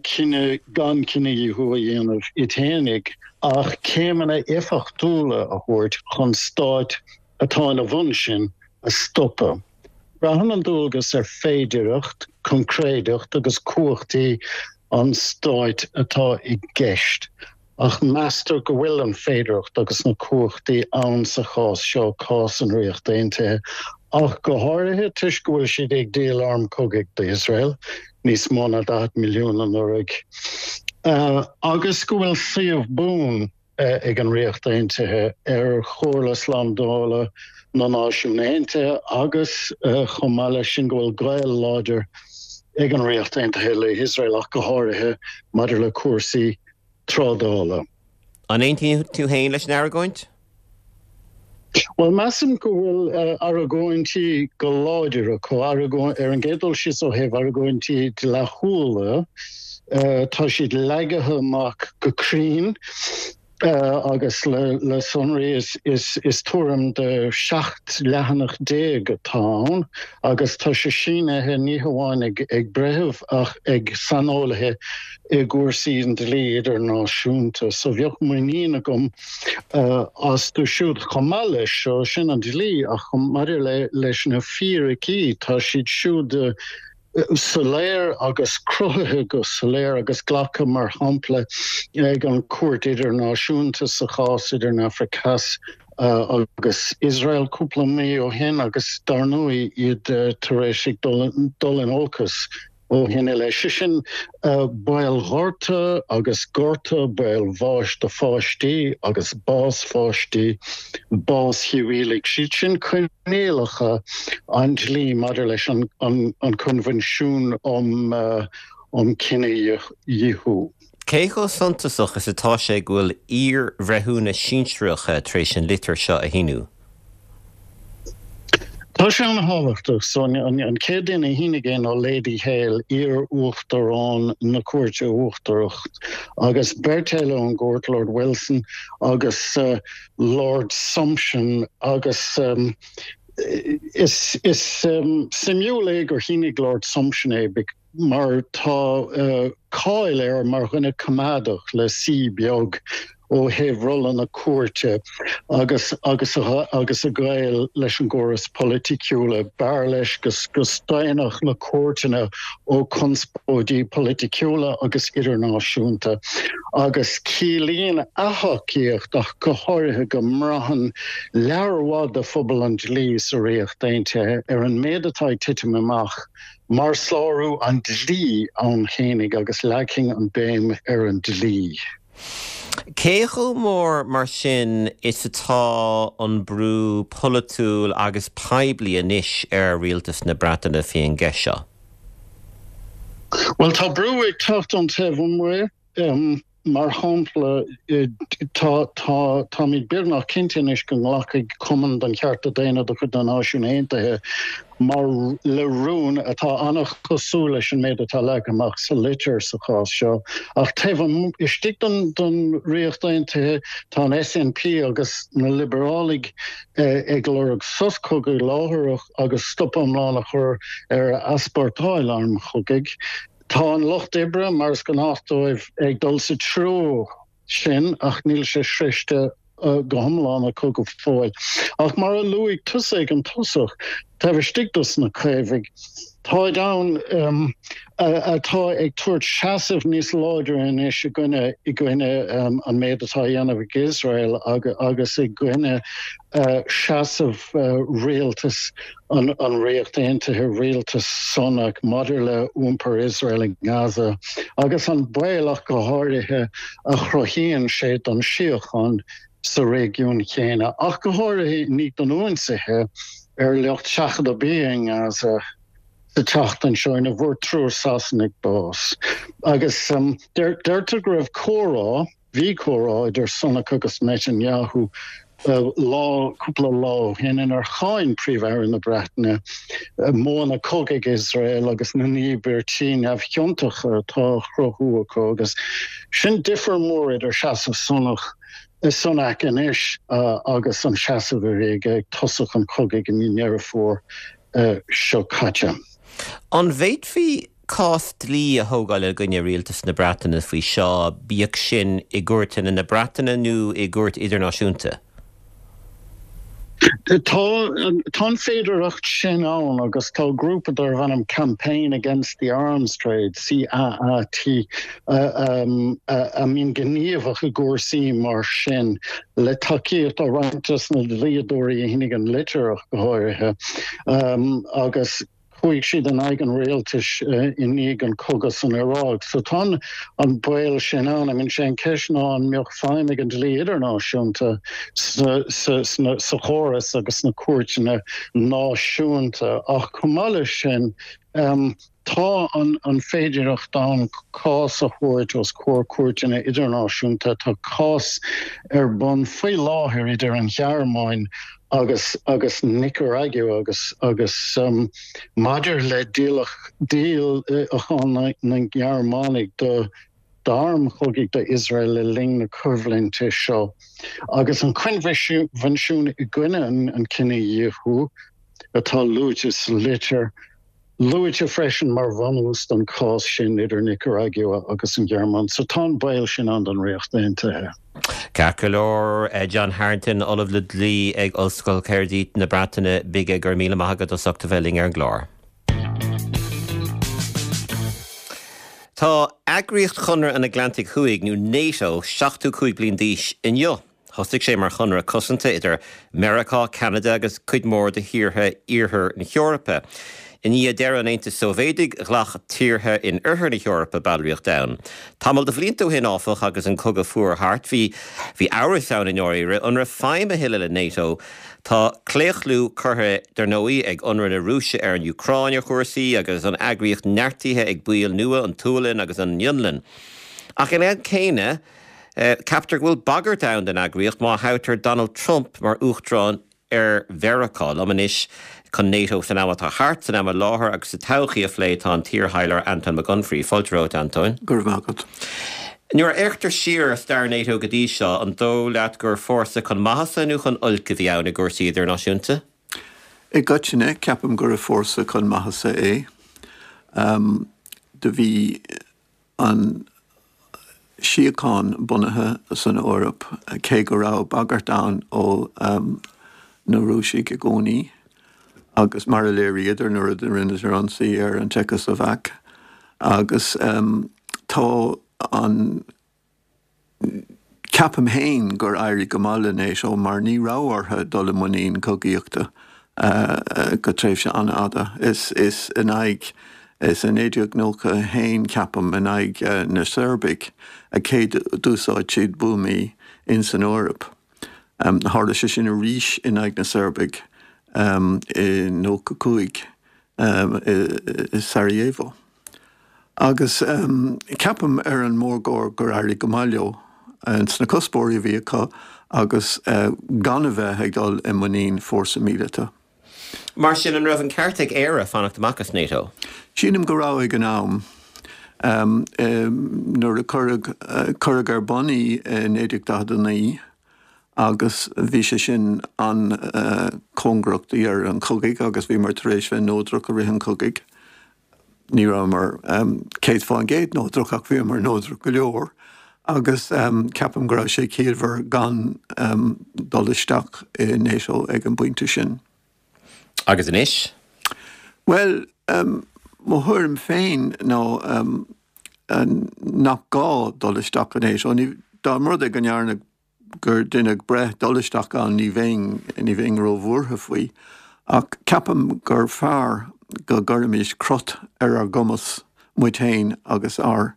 gan cinedhíothú a dhéanamh iad fhéinig ach céimeanna éifeachtúla a thabhairt chun stáit atá ina bhun sin a stopadh. Braitheann an dualgas ar féidireacht, coincréideacht agus cumhachtaí an stáit atá i gceist, ach meastar go bhfuil an féidireacht agus na cumhachtaí ann sa chás seo, cás an Ríocht Aontaithe, ach go háirithe toisc go bhfuil siad ag díol arm cogaidh d'Iosrael, níos mó ná daichead milliún anuraidh, agus go bhfuil suíomh buan ag an Ríocht Aontaithe ar Chomhairle Slándála na Náisiún Aontaithe agus chomh maith leis sin go bhfuil gaol láidir ag an Ríocht Aontaithe le hIosrael ach go háirithe maidir le cúrsaí trádála. An aontaíonn tú féin leis an argóint? Bhuel, measaim go bhfuil argóintí go láidir acu, ar an gcéad dul síos ó thaobh argóintí dleathúla, tá siad leagtha amach go cruinn agus le sonraí. Is tuairim de seacht leathanach déag atá ann agus tá sé sínithe ní hamháin ag breitheamh ach ag saineolaithe i gcúrsaí an dlí idirnáisiúnta. So bheadh muinín agam astu siúd. Chomh maith leis seo, sin an dlí, ach maidir leis na fíricí, tá siad siúd soiléir agus cruthaithe go soiléir agus glactha mar shampla ag an Chúirt Idirnáisiúnta sa chás idir an Afraic Theas agus Iosrael cúpla mí ó shin agus dar ndóigh iad tar éis ag dul in olcas ó shin i leith. Sé sin baol gorta agus gorta, baol bháis do pháistí agus bás pháistí, bás shibhialaigh. Siad sin coinníollacha an dlí maidir leis an Coinbhinsiún um Cinedhíothú. Cé chomh suntasach is atá sé go bhfuil iar-bhreithiúna sinsearacha tar éis an litir seo a shíniú? Tá sé an-thábhachtach. So an chéad duine a shínigh é ná Lady Hale, iar-uachtarán na Cúirte Uachtarach, agus beirt eile ón gcúirt, Lord Wilson agus Lord Sumption, agus is is suimiúil é gur shínigh Lord Sumption é mar tá cáil air mar dhuine coimeádach le C beag ó thaobh rolla na cúirte agus agus agus a ghaol leis an gcóras polaiticiúla. B'fhearr leis go go staonfadh na cúirteanna ó chonspóidí polaiticiúla agus idirnáisiúnta agus ciallaíonn a thacaíocht ach go háirithe go mbraitheann lear mhaith de phobal an dlí sa Ríocht Aontaithe ar an méid atá ag titim amach mar sárú an dlí ann fhéinig agus leagfainn an béim ar an dlí. Cé chomh mór mar sin is atá an brú polaitiúil agus poiblí anois ar rialtas na Breataine faoin gceist seo? Bhuel, tá brú ag teacht ón taobh amuigh. Mar shampla, tá tá táimid beagnach cinnte anois go nglacfaidh Cumann don Chearta Daonna de chuid na Náisiún Aontaithe mar le rún atá an-chosúil leis an méid atá leagtha amach sa litir sa chás seo. Ach taobh istigh den den Ríocht Aontaithe, tá an S N P agus na Liobarálaigh ag lorg sos cogaidh láithreach agus stop iomlán a chur ar easpórtáil arm chogaidh. Tá an Lucht Oibre, mar is gnách dóibh, ag dul sa treo sin ach níl sé sroichte go hiomlán acu go fóill. Ach mar a luaigh tusa ag an tosach, taobh istigh dos na Caomhaigh, táid ann atá ag tabhairt seasamh níos láidre anois i gcoinne i gcoinne an méid atá á dhéanamh ag Iosrael agus i gcoinne seasamh rialtas an an Ríocht Aontaithe, rialtas Sunak, maidir le iompar Iosrael i nGaza agus an baol ach go háirithe a chruthaíonn sé don síocháin sa réigiún chéanna, ach go háirithe i ndiaidh don ionsaithe ar lucht seachadta bia i nGaza sa tseachtain seo ina bhfuair triúr Sasanaigh bás. Agus deirtear go raibh comhrá, bhí comhrá idir Sunak agus Netanyahu lá, cúpla lá ó shin inar cháin Príomh-Aire na Breataine modhanna cogaidh Iosrael agus na n-íobairtí neamhchiontacha atá á chruthú acu agus sin difear mór idir seasamh Sunak Sunak anois agus an seasamh a bhí aige ag tosach an chogaidh i mí Dheireadh Fómhair seo caite. An bhféadfaí cás dlí a thógáil i gcoinne rialtas na Breataine faoi seo, bíodh sin i gcúirteanna na Breataine nó i gcúirt idirnáisiúnta? Tá tá an féidearthacht sin ann agus tá grúpa darb ainm Campaign Against the Arms Trade, C A A T, a mbíonn gníomhach i gcúrsaí mar sin, le tacaíocht ó roinnt des na dlíodóirí a shínigh an litir ach go háirithe, agus Chuaigh siad in aghaidh an rialtais i ndiaidh an cogadh san Iaráic. So tá an baol sin ann. I mean, sé an ceist ná an mbeadh feidhm ag an dlí idirnáisiúnta sa, sa, sa chóras agus sna cúirteanna náisiúnta. Ach chomh maith leis sin, um, tá an, an féidireacht ann cás a thabhairt os comhair cúirteanna idirnáisiúnta. Tá cás ar bun faoi láthair idir an Ghearmáin agus agus Nicaragua agus agus um, maidir le díolach díolachán na, na nGearmánaigh do d'airm chogaidh do Iosrael le linn na coimhlinte seo. Agus an Coinbhinsiún i gcoinne an, an cinedhíothú atá luaite sa litir, luaite freisin mar bhunús don cás sin idir Nicaragua agus an Ghearmáin, so tá an baol sin ann don Ríocht Aontaithe. Ceart go leor John Harrington, Ollamh le Dlí ag Ollscoil Caerdydd na Breataine Bige go raibh míle maith agat as ucht a bheith linn ar an gclár. Tá eagraíocht Chonradh an Atlantaigh Thuaidh nó NATO seachtó cúig bliain d'aois inniu. Thosaigh sé mar chonradh cosanta idir Meiriceá, Ceanada agus cuid mhór de thíortha iarthar na hEorpa. I ndiaidh deireadh an Aontais Sóivéadaigh, ghlac tíortha in oirthear na hEorpa ballraíocht ann. Tamall de bhlianta ó shin, áfach, agus an Cogadh Fuar thart, bhí bhí amhras ann i ndáiríre an raibh feidhm a thuilleadh le NATO. Tá claochlú curtha, dar ndóigh, ag ionradh na Rúise ar an Úcráin ar chúrsaí agus an eagraíocht neartaithe ag baill nua, an tSualainn agus an Fhionlainn. Ach ag an am céanna, ceaptar go bhfuil bagairt ann don eagraíocht má thoghtar Donald Trump mar uachtarán ar Mheiriceá. Liom anois chun NATO san am atá thart, san am i láthair agus sa todhchaí a phlé tá an t-iarthaidhleoir Antóin Mac Unfraidh. Fáilte romhat, Antóin. Go raibh maith agat. Nuair a fhéachtar siar ar stair NATO go dtí seo, an dóigh leat gur fórsa chun maitheasa nó chun oilc a bhí ann i gcúrsaí idirnáisiúnta? I gcoitinne, ceapaim gurbh fórsa chun maitheasa é. Do bhí an síocháin bunaithe san Eoraip, cé go raibh bagairt ann ó na Rúisigh i gcónaí, agus mar a léiríodar nuair a rinneadar ionsaí ar an tSeiceaslóvaic. Agus tá an, ceapaim féin gur éirigh go maith le NATO mar ní raibh orthu dul i muinín cogaíochta go tréimhse an-fhada. Is is in aghaidh, is i naoi déag nócha a haon ceapaim, in aghaidh na Seirbiigh a céad d'úsáid siad buamaí in san Eoraip. Tharla sé sin arís in aghaidh na Seirbiigh i nócha cúig i Sarajevo. Agus ceapaim ar an mórgóir gur éirigh go maith leo sna cuspóirí a bhí acu agus gan a bheith ag dul i muinín fórsa míleata. Mar sin, an raibh an ceart ag Éire fanacht amach as NATO? Sílim go raibh ag an am. Nuair a cuireadh cuireadh ar bun í i naoi déag daichead a naoi agus bhí sé sin an-chóngarach do dheireadh an chogaidh agus bhíomar tar éis bheith neodrach i rith an chogaidh. Ní rabhamar céad fán gcéad neodrach ach bhíomar neodrach go leor agus ceapaim go raibh sé ciallmhar gan dul isteach i NATO ag an bpointe sin. Agus anois? Bhuel, mo thuairim féin ná nach gá dul isteach i NATO. Dá mba rud é go ndearnadh gur deineadh breith dul isteach ann ní bheinn, ní bheinn róbhuartha faoi. Ach ceapaim gur fearr go gcuirfimis crot ar ár gcumas muid féin agus ár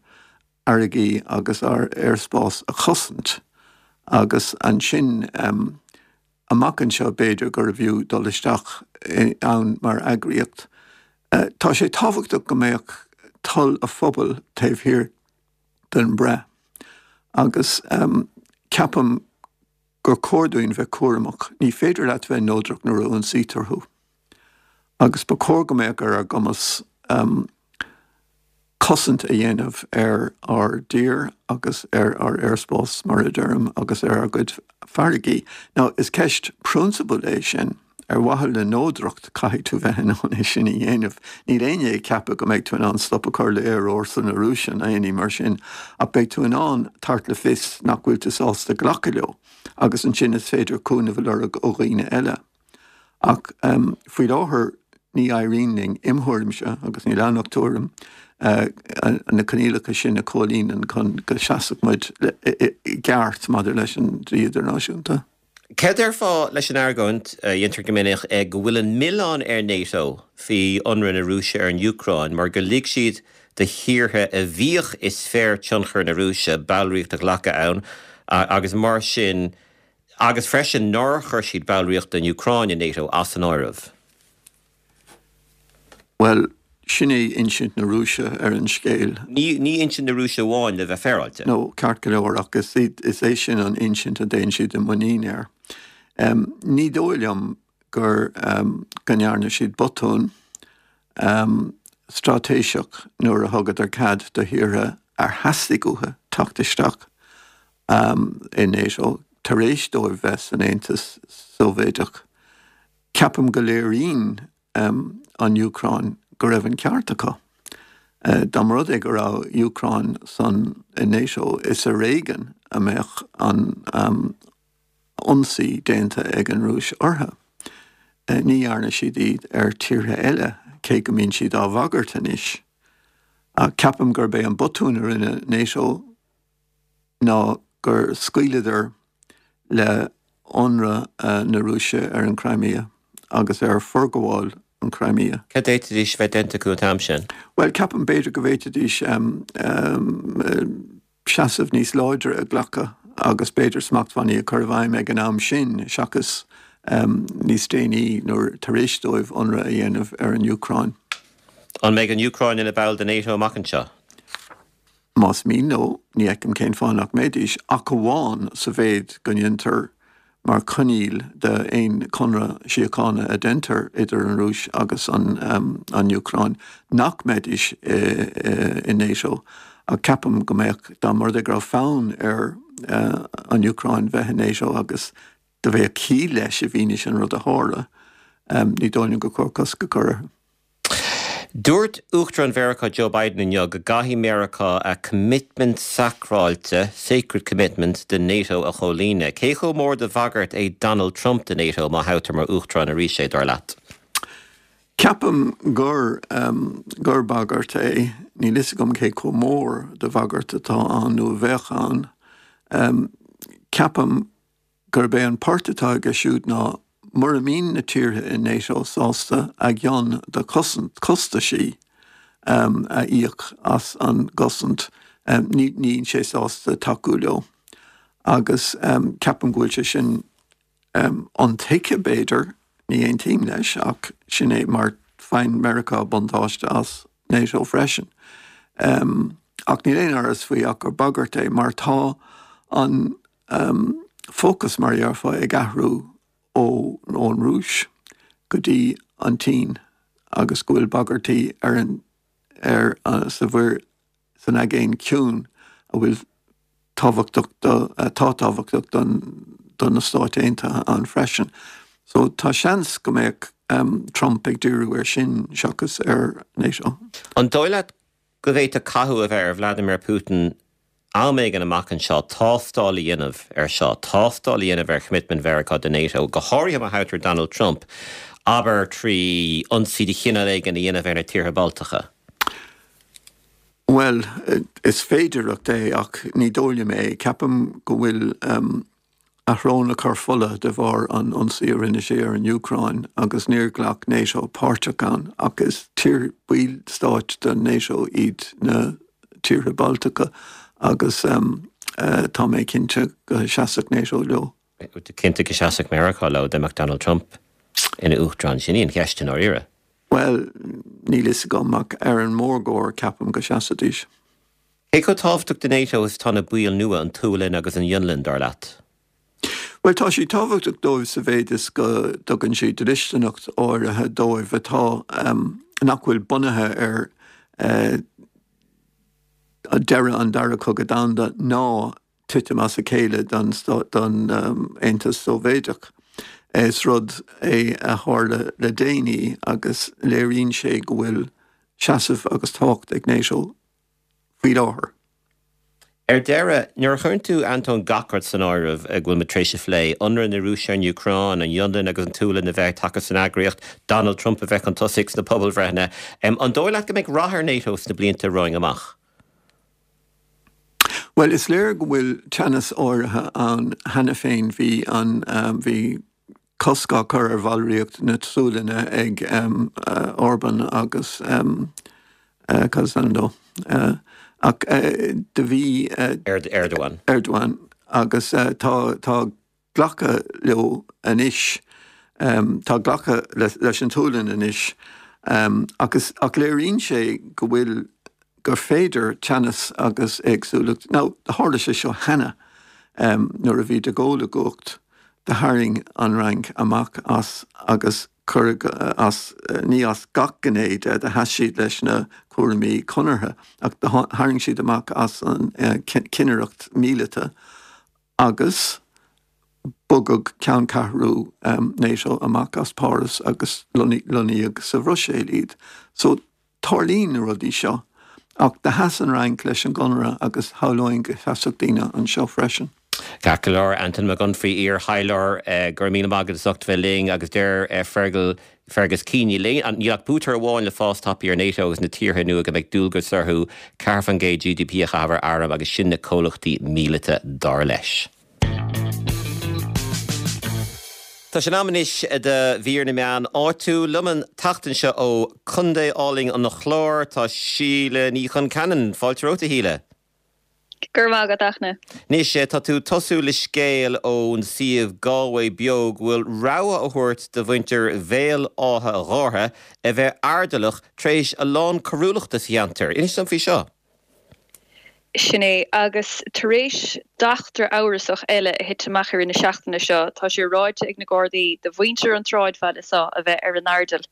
bhfarraigí agus ár aerspás a chosaint agus ansin amach anseo b'fhéidir gurbh fhiú dul isteach ann mar eagraíocht. Tá sé tábhachtach go mbeadh toil an phobail taobh thiar den bhreith agus ceapaim gur chóir dúinn bheith cúramach. Ní féidir leat bheith neodrach nuair a ionsaítear thú. Agus ba chóir go mbeadh ar ár gcumas cosaint a dhéanamh ar ár dtír agus ar ár aerspás, mar a deirim, agus ar ár gcuid farraigí. Now, is ceist prionsabail é sin. Ar mhaithe le neodracht, caithfidh tú bheith in ann é sin a dhéanamh. Níl éinne ag ceapadh go mbeidh tú in ann stop a chur le aerfhórsa na Rúise ná aon ní mar sin, ach beidh tú in ann tabhairt le fios nach bhfuil tú sásta glacadh leo, agus ansin is féidir cúnamh a lorg ó dhaoine eile. Ach faoi láthair ní éiríonn linn, im thuairimse, agus níl ann ach tuairim, na coinníollacha sin a chomhlíonadh chun go seasfadh muid i gceart maidir leis an dlí idirnáisiúnta. Céard a déarfá leis an argóint a dhéantar go minic go bhfuil an milleán ar NATO faoi ionradh na Rúise ar an Úcráin mar gur lig siad do thíortha a bhíodh i sféar tionchair na Rúise ballraíocht a ghlacadh ann agus mar sin agus freisin nár chuir siad ballraíocht den Úcráin i NATO as an áireamh? Bhuel, sin é insint na Rúise ar an scéal. Ní ní insint na Rúise amháin le bheith féaráilte. No, ceart go leor ach is is é sin an insint a dtéann siad i muinín air. Um, ní dóigh liom gur um, go ndearna siad botún um, straitéiseach nuair a thugadar cead do thíortha ar theastaigh uathu teacht isteach um, i NATO tar éis dóibh bheith san Aontas Sóivéadach. Ceapaim go léiríonn um, an Úcráin go raibh an ceart acu. Uh, Dá mba rud é go raibh Úcráin san i NATO is ar éigean a mbeadh an um, ionsaí déanta ag an Rúis orthu. Uh, ní dhearna siad iad ar tíortha eile cé go mbíonn siad á bhagairt anois. Uh, ceapaim gurb é an botún a rinne NATO ná gur scaoileadar le ionradh uh, na Rúise ar an Crimea agus ar forghabháil an Crimea. Cad a d'fhéadfaidís bheith déanta acu an t-am sin? Well ceapaim b'fhéidir go bhféadfaidís um, um, seasamh níos láidre a ghlacadh agus b'fhéidir smachtbhannaí a chur i bhfeidhm ag an am sin seachas um, níos déanaí nuair tar éis dóibh ionradh a dhéanamh ar an Úcráin. An mbeidh an Úcráin ina ball de NATO amach anseo? Más mian leo ní fheicim cén fáth nach mbeidís ach amháin sa mhéid go ndéantar mar choinníoll d'aon chonradh síochána a déantar idir an Rúis agus an, um, an Úcráin nach mbeidís i, i, i NATO ach ceapaim go mbeadh dá mba rud é go raibh fonn ar uh, an Úcráin bheith i NATO agus do bheadh ciall leis i bhfianaise an rud a tharla um, ní dóigh liom gur chóir cosc a chur orthu. Dúirt Uachtarán Mheiriceá Joe Biden inniu go gcaithfidh Meiriceá a commitment sacráilte sacred commitment de NATO a chomhlíonadh. Cé chomh mór de bhagairt é Donald Trump de NATO má thoghtar mar Uachtarán arís é dar leat. Ceapaim gur um, gur bagairt é níl a fhios agam cé chomh mór de bhagairt atá ann nó a bheadh ann. Um, ceapaim gurb é an port atá aige siúd ná mura mbíonn na tíortha in NATO sásta a gcion de cosant costaisí um, a íoc as an gcosaint um, ní níl sé sásta tacú leo. Agus um, ceapaim go bhfuil sé sin um, intuigthe b'fhéidir ní aontaím leis ach sin é mar faigheann Meiriceá buntáiste as NATO freisin. Um, ach níl aon amhras faoi ach gur bagairt é mar tá an um, fócas mar a déarfá ag athrú ó ón Rúis go dtí an tSín agus go bhfuil bagairtí ar an ar uh, sa mhuir san Aigéan Ciúin a bhfuil tábhachtach atá tábhachtach don don na Stáit Aontaithe ann freisin. So tá seans go mbeadh um, Trump ag díriú ar sin seachas ar NATO. An dóigh leat go bhféadfadh cathú a bheith ar Vladimir Putin am éigin amach anseo tástáil a dhéanamh ar seo, tástáil a dhéanamh ar commitment Mheiriceá de NATO, go háirithe má thoghtar Donald Trump, abair trí ionsaí de chineál éigin a dhéanamh ar na tíortha Baltacha. Well, is féidireacht é ach ní dóigh liom é ceapaim go bhfuil um, a shrón ag cur fola de bharr an ionsaí a rinne sé ar an Úcráin agus níor ghlac NATO páirt ann ach is tír ballstáit de NATO iad na tíortha Baltacha agus um, uh, tá mé cinnte go seasfadh NATO leo. Cinnte go seasfadh Meiriceá leo dá mbeadh Donald Trump ina uachtarán sin í an cheist i ndáiríre. Well, níl a fhios agam ach ar an mórgóir ceapaim go seasfaidís. Cé chomh tábhachtach do NATO is tá na baill nua an tSualainn agus an Fhionlainn dar leat. Well tá sí tábhachtach dóibh sa mhéid is go dtugann sí dlisteanacht áirithe dóibh atá um, nach bhfuil bunaithe ar uh, deireadh an dara cogadh domhanda ná titim as a chéile don, don um, Aontas Sóivéadach. Is rud é a tharla le déanaí agus léiríonn sé go bhfuil seasamh agus tábhacht ag NATO faoi láthair. Ar deireadh, nuair a chuireann tú Antóin gach rud san áireamh ag bhfuil muid tar éis a phlé, ionradh na Rúise ar an Úcráin, an Fhionlainn agus an tSualainn a bheith tagtha san eagraíocht, Donald Trump a bheith chun tosaigh sna pobalbhreitheanna, an dóigh leat go mbeidh rath ar NATO sna blianta romhainn amach? Well, is léir go bhfuil teannas áirithe ann cheana féin bhí an um, bhí cosc á chur ar bhallraíocht na Sualainne ag um, uh, Orban agus um, uh, Casando. Uh, ach uh, do bhí uh, Erdogan. Erdogan agus uh, tá tá glactha leo anois um, tá glactha leis an tSualainn anois um, agus ach léiríonn sé go bhfuil gur féidir teannas agus éagsúlacht. Now, tharla sé seo cheana um, nuair a bhí de Gaulle i gcumhacht do tharraing an Fhrainc amach as agus cuir as ní as gach gné de do sheas siad leis na cúraimí conartha ach tharraing siad amach as an uh, cinnireacht míleata agus bogadh ceanncheathrú um, NATO amach as Páras agus lonnaíodh sa Bhruiséil iad. So tarlaíonn na rudaí seo ach do sheas an Fhrainc leis an gconradh agus shamhlóinn go seasfadh daoine anseo freisin. Ceart go leor Antain Mac Unfraidh iar-thaidhleoir eh, go raibh míle maith agat as ucht bheith linn agus deir eh, Fergal Fergus Keane níl ach pútar amháin le fás tapaidh ar NATO agus na tíortha nua go mbeidh dualgas orthu ceathair faoin gcéad GDP a chaitheamh ar airm agus sin na comhlachtaí míleata dar leis. Tá sé in am anois do mhír na meán áitiúil liom an tseachtain seo ó Chontae álainn an Chláir tá Síle Ní Chonceanainn fáilte romhat a Shíle. Go raibh maith agat a Fhachtna. Anois tá tú ag tosú le scéal ón suíomh Galway Beo go bhfuil rabhadh á thabhairt do mhuintir Bhéal Átha Ghártha a bheith airdeallach tar éis a lán coiriúlachta sa cheantar. Inis dom faoi seo. Sin é, agus tar éis d'eachtra amhrasach eile a thit amach i rith na seachtaine seo, tá sé ráite ag na Gardaí do mhuintir an tsráidbhaile seo a bheith ar a n-airdeall.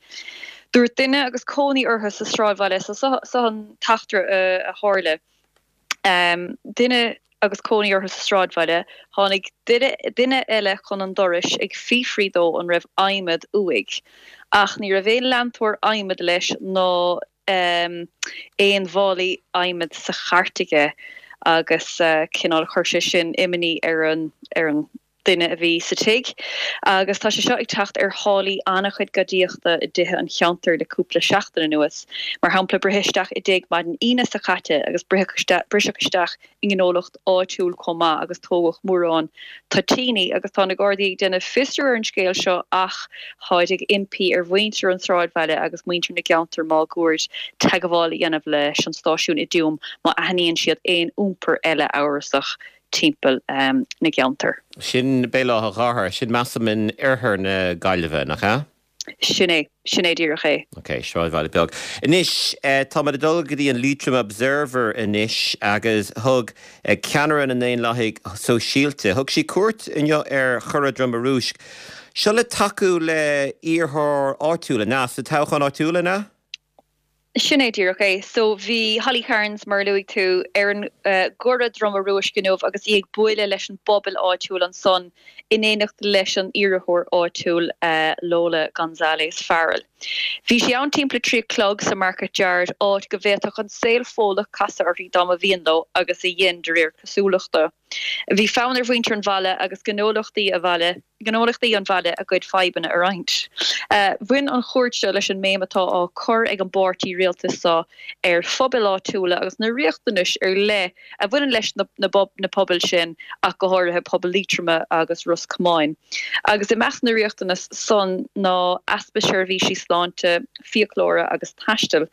Dúirt duine agus cónaí orthu sa sráidbhaile so, seo an t-eachtra a tharla. Duine agus cónaí orthu sa sráidbhaile, tháinig duine eile chun an dorais ag fiafraí dó an raibh adhmad uaidh. Ach ní raibh aon leantóir adhmaid leis ná aon mhálaí adhmaid sa chairt aige agus cineál chuir sé sin imní ar an ar an duine a bhí sa tigh. Agus tá sé seo ag teacht ar tháillí an-chuid gadaíochta i dtithe an cheantair le cúpla seachtain anuas. Mar shampla briseadh isteach i dtigh maidin Aoine seo caite agus briseadh isteach i ngnólacht áitiúil chomh maith agus tógadh mórán toitíní agus tá na Gardaí ag déanamh fiosrú ar an scéal seo ach táid ag impí ar mhuintir an tsráidbhaile agus muintir na gceantar máguaird teagmháil a dhéanamh leis an stáisiún i dTuaim má aithníonn siad aon iompar eile amhrasach timpeall na gceantar. Sin Béal Átha Ghártha, sin measaim in oirthear na Gaillimhe, nach ea? Sin é, sin é díreach é. Ok, sráidbhaile beag. Anois, táimid ag dul go dtí an Leitrim Observer anois agus thug ceannaire na nDaonlathaigh Sóisialta, thug sí cuairt inniu ar Chora Droma Rúisc. Seo le tacú le iarrthóir áitiúil, an ea? Sa toghchán áitiúil, an ea? Sin é díreach é. So bhí Holly Cairns, mar a luaigh tú, ar an gCora Droma Rúisc inniu agus í ag bualadh leis an bpobal áitiúil ansan in éineacht leis an iarrthóir áitiúil Lola Gonzalez Farrell. Bhí sí ann timpeall a trí a chlog sa Market Yard, áit go bhféadfadh an saol Fódlach casadh uirthi dá mba mhian leo, agus a dhein, de réir cosúlachta. Bhí fonn ar mhuintir an bhaile agus gnólachtaí a bhaile gnólachtaí an bhaile a gcuid fadhbanna a roinnt. Bhain an chuairt seo leis an mbéim atá á cur ag an bpáirtí rialtais seo ar phobail áitiúla agus na riachtanais ar leith a bhaineann leis na na pobail sin ach go háirithe pobal Liatroma agus Ros Comáin. Agus i measc na riachtanas san ná easpa seirbhísí sláinte, fiaclóra agus taistil.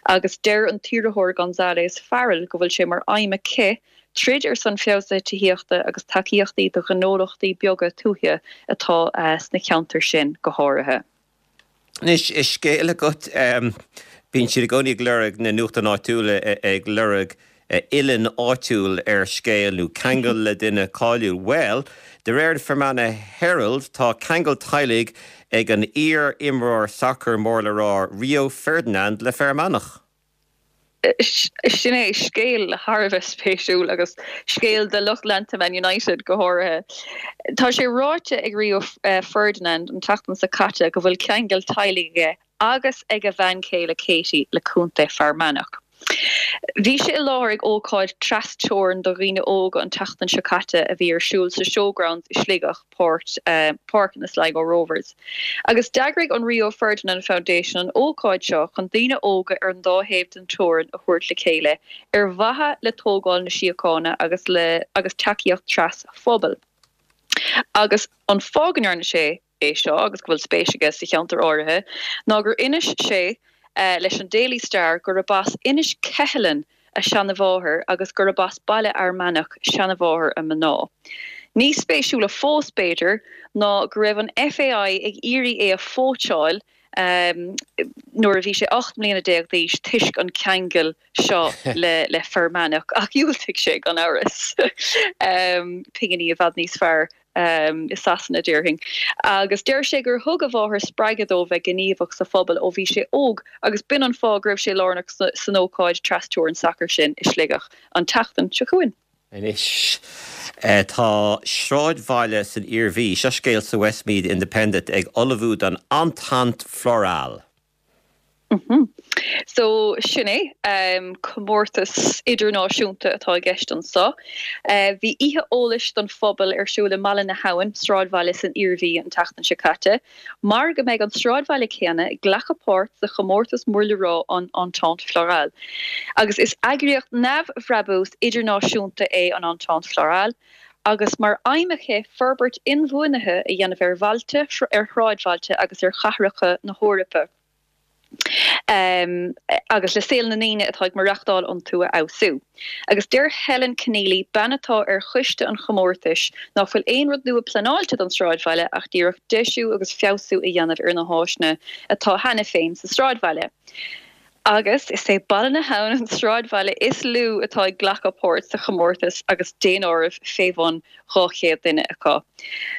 Agus deir an t-iarrthóir Gonzalez Farrell go bhfuil sé mar aidhm aici troid ar son feabhsuithe tithíochta agus tacaíochtaí do ghnólachtaí beaga tuaithe atá sna ceantair sin go háirithe. Anois, scéal agat, bíonn siad i gcónaí ag lorg, na nuachtáin áitiúla ag lorg uillinn áitiúil ar scéal nó ceangal le duine cáiliúil. Bhuel, de réir an Fermanagh Herald, tá ceangal teaghlaigh ag an iar-imreoir sacair mór le rá Rio Ferdinand le Fear Manach. Sin é scéal thar a bheith spéisiúil agus scéal do lucht leanta Man United go háirithe. Tá sé ráite ag Rio Ferdinand an tseachtain seo caite go bhfuil ceangal teaghlaigh aige agus ag a bhean chéile Katie le Contae Fear Manach. Bhí sé i láthair ag ócáid trasteorann do dhaoine óga an tseachtain seo caite a bhí ar siúl sa Showgrounds i Sligeach, páirt páirc na Sligo Rovers. Agus d'eagraigh an Rio Ferdinand Foundation an ócáid seo chun daoine óga ar an dá thaobh den teorainn a thabhairt le chéile ar mhaithe le tógáil na síochána agus le agus tacaíocht trasphobail. Agus an fáth go ndearna sé é seo agus go bhfuil spéis aige sa cheantar áirithe ná gur inis sé leis an Daily Star gurb as Inis Ceithleann a seanamháthair agus gurb as Baile Fhear Manach seanamháthair a mná. Níos spéisiúla fós, b'fhéidir, ná go raibh an FAI ag iarraidh é a phóitseáil nuair a bhí sé ocht mbliana déag d'aois toisc an ceangal seo le le Fear Manach, ach dhiúltaigh sé gan amhras. Pinginí i bhfad níos fearr i Sasana, déarfainn. Agus deir sé gur thug a mháthair spreagadh dó bheith gníomhach sa phobal ó bhí sé óg agus b'in an fáth go raibh sé lárnach san ócáid trasteorann sacair sin i Sligeach an tseachtain seo chugainn. Anois tá sráidbhaile san Iarmhí, seo scéal sa Westmeath Independent, ag ullmhú don Entente Florale. So sin é, comórtas idirnáisiúnta atá i gceist anso. Bhí oíche eolais don phobal ar siúl i mBaile na hAbhann, sráidbhaile san Iarmhí, an tseachtain seo caite, mar go mbeidh an sráidbhaile céanna ag glacadh páirt sa chomórtas mór le rá an Entente Florale. Agus is eagraíocht neamhbhrabús idirnáisiúnta é an Entente Florale, agus mar aidhm aici forbairt inbhuanaithe a dhéanamh ar bhailte, ar shráidbhailte agus ar chathracha na hEorpa. agus le saol na ndaoine atá ag maireachtáil iontu a fheabhsú. Agus deir Helen Keneally, bean atá ar choiste an chomórtais, ná fuil aon rud nua pleanáilte don sráidbhaile ach díreach deisiú agus feabhsú a dhéanamh ar na háiseanna atá cheana féin sa sráidbhaile. Agus is é Baile na hAbhann an sráidbhaile is lú atá ag glacadh páirt sa chomórtas agus daonáireamh fé bhun dhá chéad duine acu.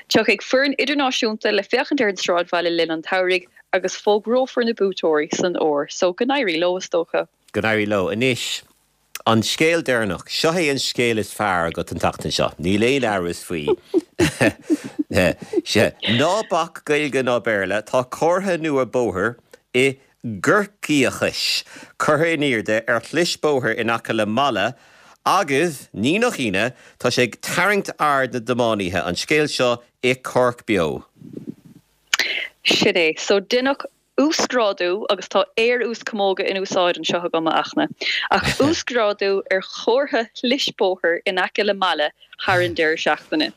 Tiocfaidh foireann idirnáisiúnta le féachaint ar an sráidbhaile le linn an tsamhraidh agus fógrófar na buaiteoirí san fhómhar. So go n-éirí leo is dócha. Go n-éirí leo. Anois, an scéal deireanach. Seo é an scéal is fearr agat an tseachtain seo. Níl aon amhras faoi. Sea. Ná bac Gaeilge ná Béarla, tá comhartha nua bóthair i gCorcaíochais curtha in airde ar shlis bóthair in aice le Mala agus, ní nach ionadh, tá sé ag tarraingt aird na dtiománaithe. An scéal seo i Cork Beo. Sin é. So deineadh uasghrádú, agus tá aer-uaschamóga in úsáid anseo agam, a Fhachtna, ach uasghrádú ar chomhartha shlis bóthair in aice le Mala thar an deireadh seachtaine.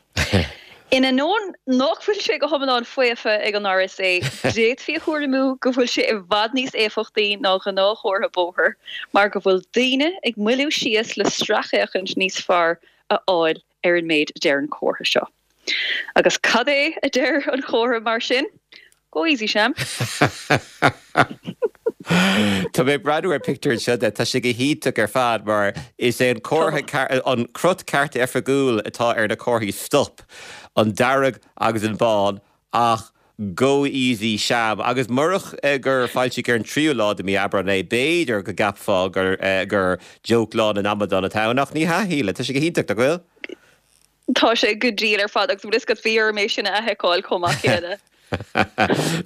In ainneoin nach bhfuil sé go hiomlán faofa ag an RSA, d'fhéadfaí a thuairimiú go bhfuil sé i bhfad níos éifeachtaí ná gnáthchomhartha bóthair mar go bhfuil daoine ag moilliú síos le sracfhéachaint níos fearr a fháil ar an méid a deir an comhartha seo. Agus cad é a deir an comhartha mar sin? Go easy, Sham. Tá mé ag breathnú ar pictiúr anseo de, tá sé go hiontach ar fad mar is é an comhartha, an crot ceart oifigiúil atá ar na comharthaí stop, an dearg agus an bán ach Go easy Sham. Agus murach gur foilsíodh ar an tríú lá de mhí Aibreán é, b'fhéidir go gceapfá gur gur joke Lá na nAmadán atá ann ach ní hea, a Shíle, tá sé go hiontach, nach bhfuil? Tá sé go diail ar fad agus bhfuil fhios agat bhí orm é sin a fheiceáil chomh maith céanna.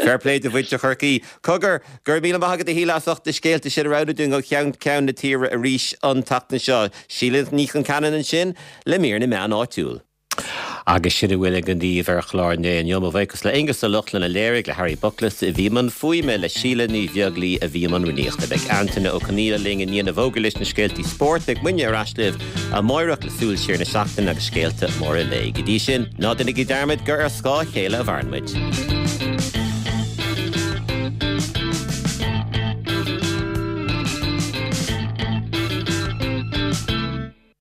Fair play do mhuintir Chorcaí. Cogar, go raibh míle maith agat a Shíle as ucht na scéalta sin a roghnú dúinn ó cheann ceann na tíre arís an tseachtain seo. Síle Ní Chonceanainn ansin le mír na meán áitiúil. Agus sin a bhfuil againn daoibh ar chlár an lae inniu. Mo bhuíochas le Aonghus Ó Lochlainn a léirigh, le Harry Buckless a bhí i mbun fuaime, le Síle Ní Bheaglaoi a bhí i mbun rúnaíochta. Beidh Antaine Ó Conghaile linn i ndiaidh na bhfógraí leis na scéaltaí spóirt. Beidh muidne ar ais libh amáireach le súil siar na seachtaine agus scéalta móra lae. Go dtí sin, ná déanaigí dearmad gur ar scáth a chéile a mhaireann muid.